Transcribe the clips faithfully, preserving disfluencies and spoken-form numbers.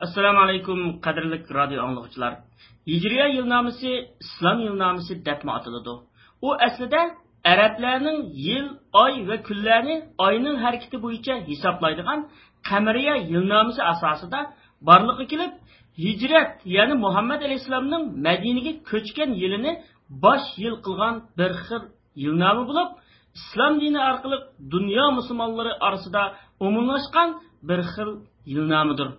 ئەسسالامۇ ئەلەيكۇم، قەدىرلىك رادىيو ئاڭلىغۇچىلار. ھىجرىيە يىلنامىسى ئىسلام يىلنامىسى دەپمۇ ئاتىلىدۇ. ئۇ ئەسلىدە ئەرەبلەرنىڭ يىل، ئاي ۋە كۈنلەرنى ئاينىڭ ھەرىكىتى بويىچە ھېسابلايدىغان قەمەرىيە يىلنامىسى ئاساسىدا بارلىققا كېلىپ، ھىجرەت، يەنى مۇھەممەد ئەلەيھىسسالامنىڭ مەدىنىگە كۆچكەن يىلىنى باش يىل قىلغان بىر خىل يىلنامە بولۇپ، ئىسلام دىنى ئارقىلىق دۇنيا مۇسۇلمانلىرى ئارىسىدا ئومۇملاشقان بىر خىل يىلنامىدۇر.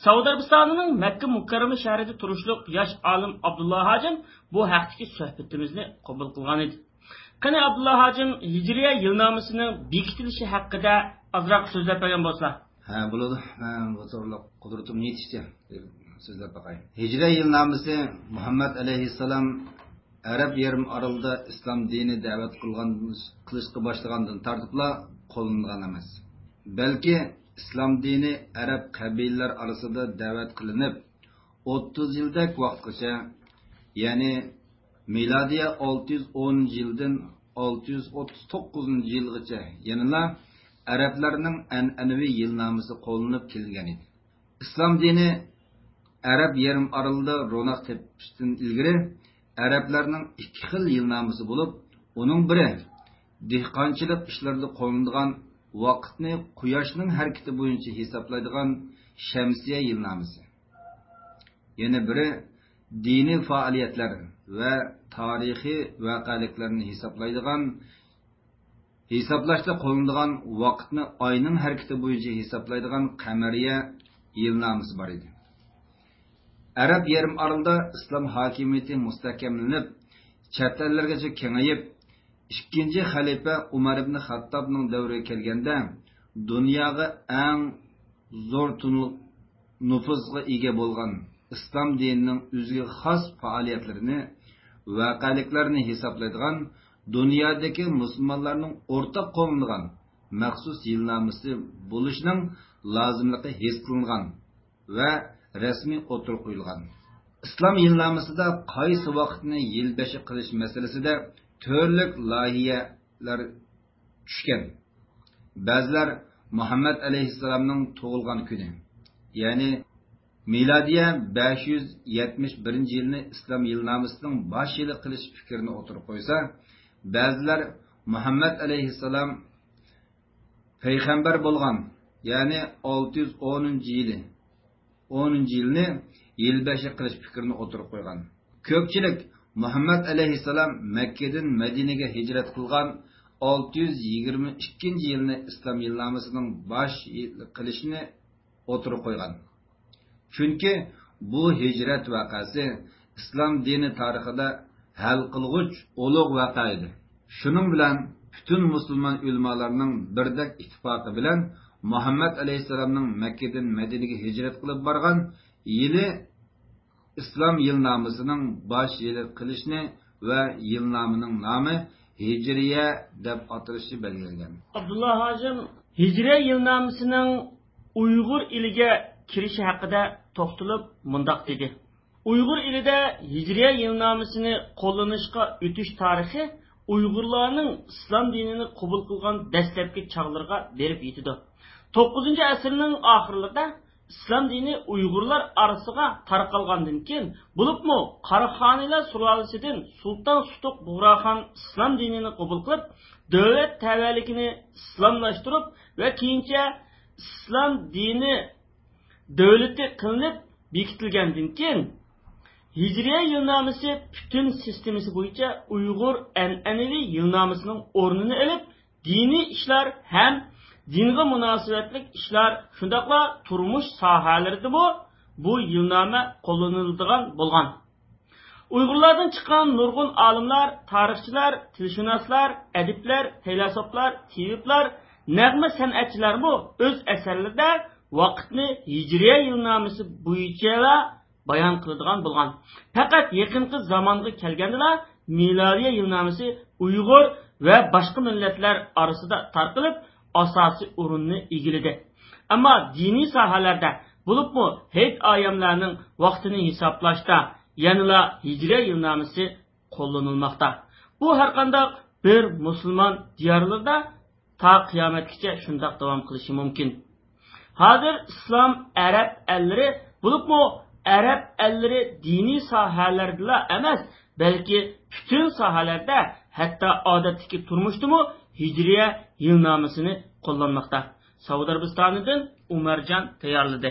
سەئۇدى ئەرەبىستانىنىڭ مەككە مۇكەررەمە شەھىرىدە تۇرۇشلۇق ياش ئالىم ئابدۇللا ھاجىم بۇ ھەقتىكى سۆھبىتىمىزنى قوبۇل قىلغان ئىدى. قېنى، ئابدۇللا ھاجىم، ھىجرىيە يىلنامىسىنىڭ بېكىتىلىشى ھەققىدە ئازراق سۆزلەپ بەرگەن بولسا. ھە، بولىدۇ. مەن بۇ توغرىلىق قۇدرىتىم يېتىشىچە سۆزلەپ باقاي. ھىجرىيە يىلنامىسى مۇھەممەد ئەلەيھىسسالام ئەرەب يېرىم ئارىلىدا ئىسلام دىنى دەۋەت قىلغان، قىلىشقا باشلىغاندىن تارتىپلا قوللىنىلغان ئەمەس. بەلكى ئىسلام دىنى ئەرەب قەبىلىلەر ئارىسىدا دەۋەت قىلىنىپ، ئوتتۇز يىلدەك ۋاقىتقىچە، يەنى مىلادىيە ئالتە يۈز ئونىنچى يىلدىن ئالتە يۈز ئوتتۇز توققۇزىنچى يىلغىچە يەنىلا ئەرەبلەرنىڭ ئەنئەنىۋى يىلنامىسى قوللىنىپ كېلىنگەن ئىدى. ئىسلام دىنى ئەرەب يېرىم ئارىلىدا روناق تېپىشتىن ئىلگىرى، ئەرەبلەرنىڭ ئىككى خىل يىلنامىسى بولۇپ، ئۇنىڭ بىرى دېھقانچىلىق ئىشلىرىدا قوللىنىدىغان ۋاقىتنى قۇياشنىڭ ھەرىكىتى بويىچە ھېسابلايدىغان شەمسىيە يىلنامىسى. يەنە بىرى دىنىي پائالىيەتلەر ۋە تارىخىي ۋەقەلىكلەرنى ھېسابلايدىغان، ھېسابلاشتا قوللىنىدىغان ۋاقىتنى ئاينىڭ ھەرىكىتى بويىچە ھېسابلايدىغان قەمەرىيە يىلنامىسى بار ئىدى. ئەرەب يېرىم ئارىلىدا ئىسلام ھاكىمىيىتى مۇستەھكەملىنىپ، چەت ئەللەرگىچە كېڭىيىپ، ئىككىنچى خەلىپە ئۇمەر ئىبنى خەتتابنىڭ دەۋرىگە كەلگەندە، دۇنياغا ئەڭ زور تونۇ-، نوپۇزغا ئىگە بولغان ئىسلام دىنىنىڭ ئۆزىگە خاس پائالىيەتلىرىنى، ۋەقەلىكلەرنى ھېسابلايدىغان، دۇنيادىكى مۇسۇلمانلارنىڭ ئورتاق قوللىنىدىغان مەخسۇس يىلنامىسى بولۇشىنىڭ لازىملىقى ھېس قىلىنغان ۋە رەسمىي ئوتتۇرىغا قويۇلغان. ئىسلام يىلنامىسىدا قايسى ۋاقىتنى يىلبېشى قىلىش مەسىلىسىدە تۈرلۈك لايىھەلەر چۈشكەن. بەزىلەر مۇھەممەد ئەلەيھىسسالامنىڭ تۇغۇلغان كۈنى، يەنى مىلادىيە بەش يۈز يەتمىش بىرىنچى يىلنى ئىسلام يىلنامىسىنىڭ باش يىلى قىلىش پىكرىنى ئوتتۇرىغا قويسا، بەزىلەر مۇھەممەد ئەلەيھىسسالام پەيغەمبەر بولغان، يەنى ئالتە يۈز ئونىنچى يىلى، ئونىنچى يىلنى يىلبېشى قىلىش پىكرىنى ئوتتۇرىغا قويغان. كۆپچىلىك مۇھەممەد ئەلەيھىسسالام مەككىدىن مەدىنىگە ھىجرەت قىلغان ئالتە يۈز يىگىرمە ئىككىنچى يىلنى ئىسلام يىلنامىسىنىڭ باش يىلى قىلىشنى ئوتتۇرىغا قويغان. چۈنكى بۇ ھىجرەت ۋەقەسى ئىسلام دىنى تارىخىدا ھەل قىلغۇچ ئۇلۇغ ۋەقە ئىدى. شۇنىڭ بىلەن پۈتۈن مۇسۇلمان ئۆلىمالارنىڭ بىردەك ئىتتىپاقى بىلەن مۇھەممەد ئەلەيھىسسالامنىڭ مەككىدىن مەدىنىگە ھىجرەت قىلىپ بارغان يىلى ئىسلام يىلنامىسىنىڭ باش يىلى قىلىشنى ۋە يىلنامىنىڭ نامى ھىجرىيە دەپ ئاتىلىشى بەلگىلەنگەن. ئابدۇللا ھاجىم، ھىجرىيە يىلنامىسىنىڭ ئۇيغۇر ئېلىگە كىرىشى ھەققىدە توختىلىپ مۇنداق دېدى: ئۇيغۇر ئېلىدە ھىجرىيە يىلنامىسىنى قوللىنىشقا ئۆتۈش تارىخى ئۇيغۇرلارنىڭ ئىسلام دىنىنى قوبۇل قىلغان دەسلەپكى چاغلىرىغا بېرىپ يېتىدۇ. توققۇزىنچى ئەسىرنىڭ ئاخىرلىرىدا ئىسلام دىنى ئۇيغۇرلار ئارىسىغا تارقالغاندىن كېيىن، بولۇپمۇ قاراخانىيلار سۇلالىسىدىن سۇلتان سۇتۇق بۇغراخان ئىسلام دىنىنى قوبۇل قىلىپ، دۆلەت تەۋەلىكىنى ئىسلاملاشتۇرۇپ ۋە كېيىنچە ئىسلام دىنى دۆلىتى قىلىنىپ بېكىتىلگەندىن كېيىن، ھىجرىيە يىلنامىسى پۈتۈن سىستېمىسى بويىچە ئۇيغۇر ئەنئەنىۋى يىلنامىسىنىڭ ئورنىنى ئېلىپ، دىنىي ئىشلار ھەم دىنغا مۇناسىۋەتلىك ئىشلار، شۇنداقلا تۇرمۇش ساھەلىرىدىمۇ بۇ يىلنامە قوللىنىلىدىغان بولغان. ئۇيغۇرلاردىن چىققان نۇرغۇن ئالىملار، تارىخچىلار، تىلشۇناسلار، ئەدىبلەر، پەيلاسوپلار، تېۋىپلار، نەغمە سەنئەتچىلەرمۇ ئۆز ئەسەرلىرىدە ۋاقىتنى ھىجرىيە يىلنامىسى بويىچىلا بايان قىلىدىغان بولغان. پەقەت يېقىنقى زامانغا كەلگەندىلا، مىلادىيە يىلنامىسى ئۇيغۇر ۋە باشقا مىللەتلەر ئارىسىدا تارقىلىپ، ئاساسىي ئورۇننى ئىگىلىدى. ئەمما دىنىي ساھەلەردە، بولۇپمۇ ھېيت-ئايەملەرنىڭ ۋاقتىنى ھېسابلاشتا يەنىلا ھىجرىيە يىلنامىسى قوللىنىلماقتا. بۇ ھەرقانداق بىر مۇسۇلمان دىيارلىرىدا تا قىيامەتكىچە شۇنداق داۋام قىلىشى مۇمكىن. ھازىر ئىسلام ئەرەب ئەللىرى بولۇپمۇ ئەرەب ئەللىرى دىنىي ساھەلەردىلا ئەمەس، بەلكى پۈتۈن ساھەلەردە، ھەتتا ئادەتتىكى تۇرمۇشتىمۇ ھىجرىيە يىلنامىسىنى قوللانماقتا. سەئۇدى ئەرەبىستانىدىن ئۇمەرجان تەييارلىدى.